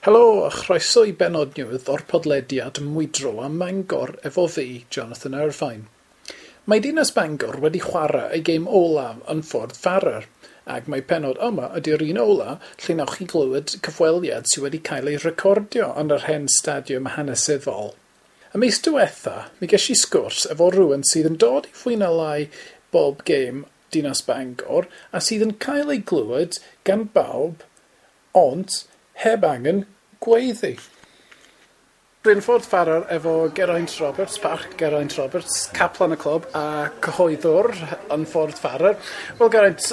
Helo a chroeso i bennod newydd o'r podlediad Mwydro am Mangor efo fi, Jonathan Irvine. Mae Dinas Bangor wedi chwarae ei gêm olaf yn Ffordd Farrer, ac mae pennod yma ydy'r un ola lle newch chi glywed cyfweliad sydd wedi cael ei recordio yn yr hen stadiwm hanesyddol. Y mis diwetha, mi ges i sgwrs efo rhywun sydd yn dod i fwy na lai bob gêm Dinas Bangor a sydd yn cael ei glywed gan bawb, ond heb angen gweiddi. Dwi'n Ffordd Farrer efo Geraint Roberts, Parch Geraint Roberts, caplan y clwb a cyhoeddwr yn Ffordd Farrer. Wel Geraint,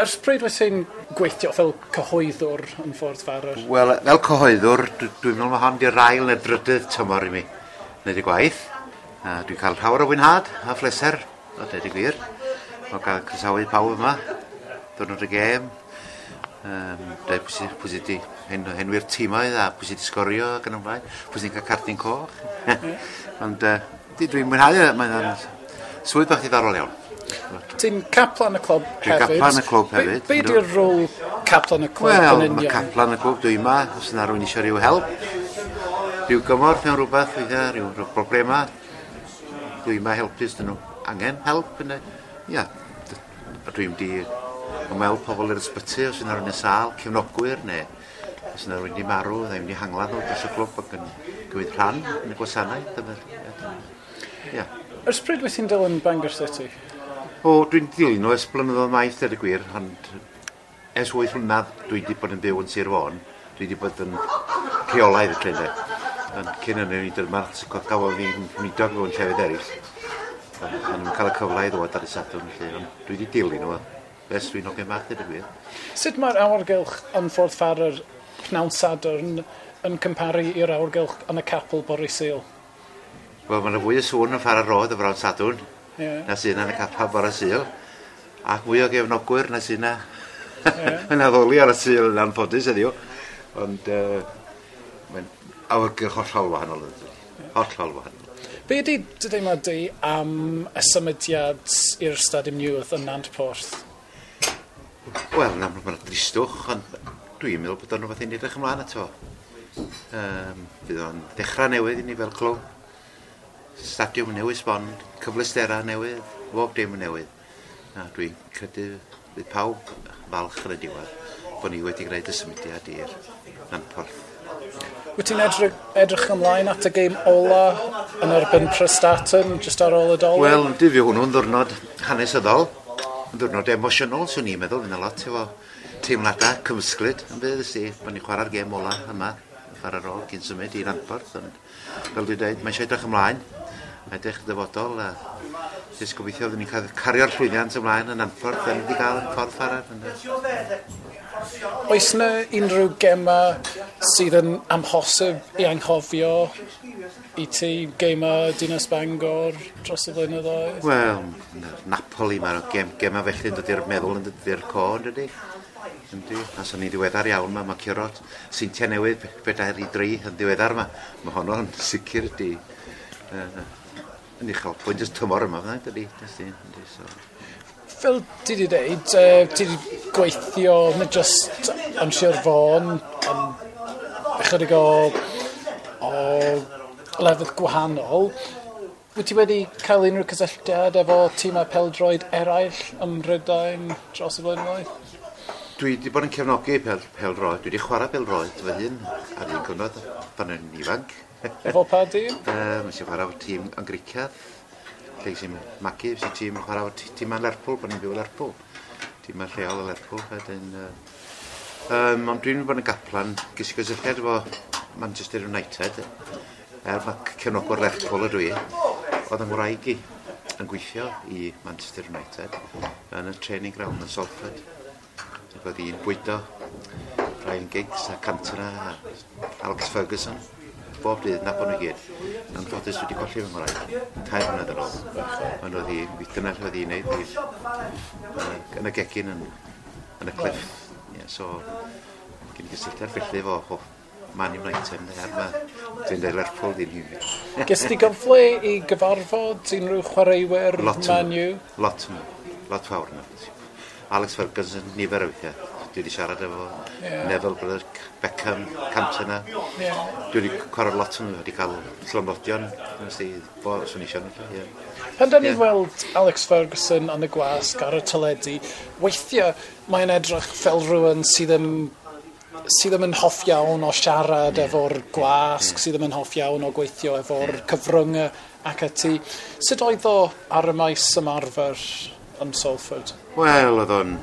ers pryd wyt ti'n gweithio fel cyhoeddwr yn Ffordd Farrer? Wel, fel cyhoeddwr, dwi'n meddwl mae hon di'r ail neu'r drydydd tymor i mi wneud y gwaith. A dwi'n cael llawer o fwynhad a phleser, o dweud y gwir. O gael croesawu pawb yma, diwrnod y gêm, dweud pwy sydd wedi henwi'r tîmoedd a pwy sydd wedi sgorio ac yn ymlaen, pwy sydd wedi cael cardyn coch. Ond dwi'n mwynhau, e, mae'n swydd bach ddiddorol iawn. Ti'n caplan y clwb hefyd. Dwi'n caplan y clwb hefyd. Be di'r rôl caplan y clwb Wel, yn union? Wel, mae caplan y clwb dwi yma, os yna rhywun eisiau rhyw help, rhyw gymorth mewn rhywbeth, weithiau, rhyw, rhyw problema, dwi yma helpu os dyn nhw angen help. Yna. Ia, dwi'n di ymweld pobl i'r ysbyty os yna rhywun yn sâl, cefnogwyr neu os yna rhywun wedi marw, neu wedi hangladd nhw dros y clwb ac yn cymryd rhan yn y gwasanaeth. Ia. Ers pryd wyt ti'n dilyn Bangor City? O, dwi'n dilyn nhw ers blynyddoedd maith, dweud y gwir, ond ers 8 mlynedd dwi wedi bod yn byw yn Sir Fôn. Dwi wedi bod yn rheolaidd y lle. Ond cyn hynny, o'n i dyma gafodd fi'n mwydog mewn llefydd eraill. O'n i'n cael y cyfle i ddod ar y Sadwrn, felly, ond dwi wedi dilyn nhw ers dwi'n hogyn bach, dweud y gwir. Sut mae'r awyrgylch yn Ffordd Farrer pnawn Sadwrn yn cymharu i'r awyrgylch yn y capel bore Sul? Wel, mae yna fwy o sŵn yn Farrer Road y bnawn Sadwrn na sydd yna yn y capel bore Sul. Ac mwy o gefnogwyr na sydd yna yn addoli ar y Sul yn anffodus heddiw. Ond mae'n awyrgylch hollol wahanol. Hollol wahanol. Be ydy dy deimlad di am y symudiad i'r Stadiwm Newydd yn Nantporth? Wel, yn amlwg mae'n dristwch, ond dwi'n meddwl bod o'n rhywbeth i ni edrych ymlaen ato. Fydd o'n ddechrau newydd i ni fel clwb. Stadiwm newydd sbon, cyfleusterau newydd, bob dim yn newydd. A dwi'n credu bydd pawb falch yn y diwedd bod ni wedi gwneud y symudiad i'r Nantporth. Wyt ti'n edrych ymlaen at y gêm ola yn erbyn Prestatyn jyst ar ôl y Dolig? Wel, yndi, fi hwnnw'n ddiwrnod hanesyddol, yn ddiwrnod emosiynol, swn i'n meddwl, fydd 'na lot efo teimladau cymysglyd yn bydd, ysdi, bod ni'n chwarae'r gêm ola yma, chwarae'r ôl cyn symud i Nantporth, ond fel dwi'n dweud, mae eisiau edrych ymlaen, mae edrych y dyfodol, a jyst gobeithio fyddwn ni'n cael cario'r llwyddiant ymlaen yn Nantporth, fel ni wedi cael yn Ffordd Farrer. Oes yna unrhyw gema sydd yn amhosib i anghofio i ti, gema Dinas Bangor dros y blynyddoedd? Wel, Napoli, mae'r gema felly yn dod i'r meddwl yn dod i'r co, yn dydi? Yndi, a so ni'n ddiweddar iawn, mae curo Seintiau Newydd 4-3 yn ddiweddar yma. Mae honno'n sicr di yn uchelbwynt y tymor yma, fyddai, dydi? Yndi, so. Fel ti wedi dweud, ti wedi gweithio nid just yn Sir Fôn, ond ychydig o lefydd gwahanol. Wyt ti wedi cael unrhyw cysylltiad efo tîmau pêl-droed eraill ym Mhrydain dros y blynyddoedd? Dwi wedi bod yn cefnogi pêl-droed. Dwi wedi chwarae pêl-droed fy hun ar un cyfnod pan o'n i'n ifanc. Efo pa dîm? Nes i chwarae efo tîm yn Griciad, lle sy'n magu, sy'n tîm chwarae efo tîm yn Lerpwl, pan i'n byw yn Lerpwl. Tîm yn lleol yn Lerpwl. Wedyn, ond dwi'n bod yn gaplan, ges i gysylltiad efo Manchester United, er mae cefnogwr Lerpwl ydw i, oedd yng ngwraig i yn gweithio i Manchester United yn y training ground yn Salford. Ac oedd hi'n bwydo Ryan Giggs a Cantona a Alex Ferguson bob dydd, nabod nhw i gyd. Anffodus wedi colli fy ngwraig 3 mlynedd yn ôl. Ond oedd hi, dyna lle oedd hi'n neud, yn y gegin yn y cliff. Yeah, so, gen i gysylltiad felly efo Man United, neu ar ma, dwi'n dweud Lerpwl ddim hyn. Ges ti gyfle i gyfarfod unrhyw chwaraewyr Man U? Lot, lot fawr yna. Alex Ferguson, nifer o weithiau. Dwi wedi siarad efo Neville, Brothers, Beckham, Cantona. Dwi wedi cwarad lot yn wedi cael llofnodion, nes i bo, swn i eisiau nhw. Yeah. Pan da ni'n weld Alex Ferguson yn y gwasg ar y teledu, weithiau mae'n edrych fel rhywun sydd ddim yn hoff iawn o siarad efo'r gwasg, sydd ddim yn hoff iawn o gweithio efo'r cyfryngau ac ati. Sut oedd o ar y maes ymarfer yn Salford? Wel, oedd o'n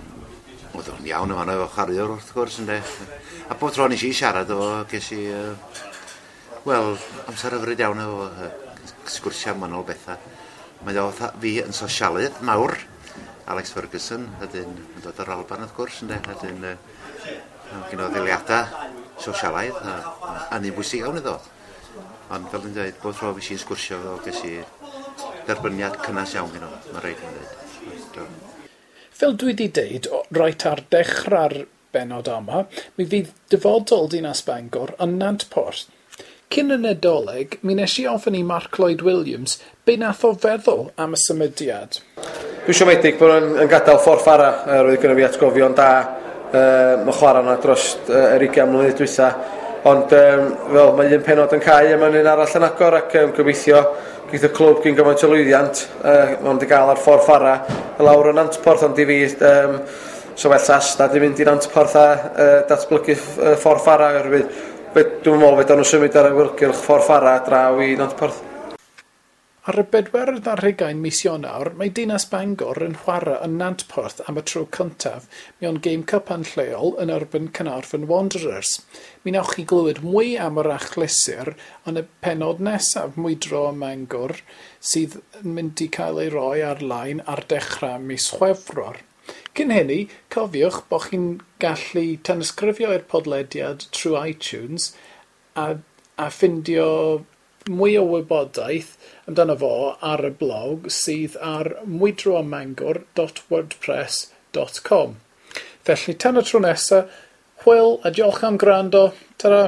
iawn yn fanno efo chwaraewr wrth gwrs, ynde. A bob tro nes i siarad efo, ges i, wel, amser hyfryd iawn efo, sgwrsio am wahanol bethau. Mae o fatha fi yn sosialydd mawr, Alex Ferguson, ydyn yn dod o'r Alban wrth gwrs, ynde, ydyn gen o ddiliadau sosialaidd, a ni'n bwysig iawn iddo. Ond fel dwi'n dweud, bob tro fi si'n sgwrsio efo, ges i derbyniad cynnas iawn gen o, mae'n rhaid i'n dweud. Fel dwi wedi deud, reit ar dechrau'r bennod yma, mi fydd dyfodol Dinas Bangor yn Nantporth. Cyn y Nadolig, mi nes i ofyn i Mark Lloyd Williams be nath o feddwl am y symudiad. Dwi'n siomedig bod nhw'n yn gadael Ffordd Fara, roedd gynno fi atgofion da mae chwarae yna dros yr 20 mlynedd dwytha. Ond fel mae un pennod yn cau a mae'n un arall yn agor ac gobeithio geith y clwb gyn gymaint o lwyddiant maen nhw wedi gael ar Ffordd Fara lawr yn Nantporth, ond i fi so well Asda di mynd i Nantporth a datblygu Ffordd Fara oherwydd dwi'n meddwl fedran nhw symud ar awyrgylch Ffordd Fara draw i Nantporth. Ar y 24 mis Ionawr, mae Dinas Bangor yn chwarae yn Nantporth am y tro cyntaf mewn gêm cypan lleol yn erbyn Caernarfon Wanderers. Mi wnewch chi glywed mwy am yr achlysur yn y pennod nesaf Mwydro ym Mangor sydd yn mynd i cael ei roi ar-lein ar dechrau mis Chwefror. Cyn hynny, cofiwch bod chi'n gallu tanysgrifio i'r podlediad trwy iTunes a ffindio mwy o wybodaeth amdano fo ar y blog sydd ar mwydroammangor.wordpress.com. Felly tan y tro nesaf, hwyl a diolch am gwrando. Ta-ra!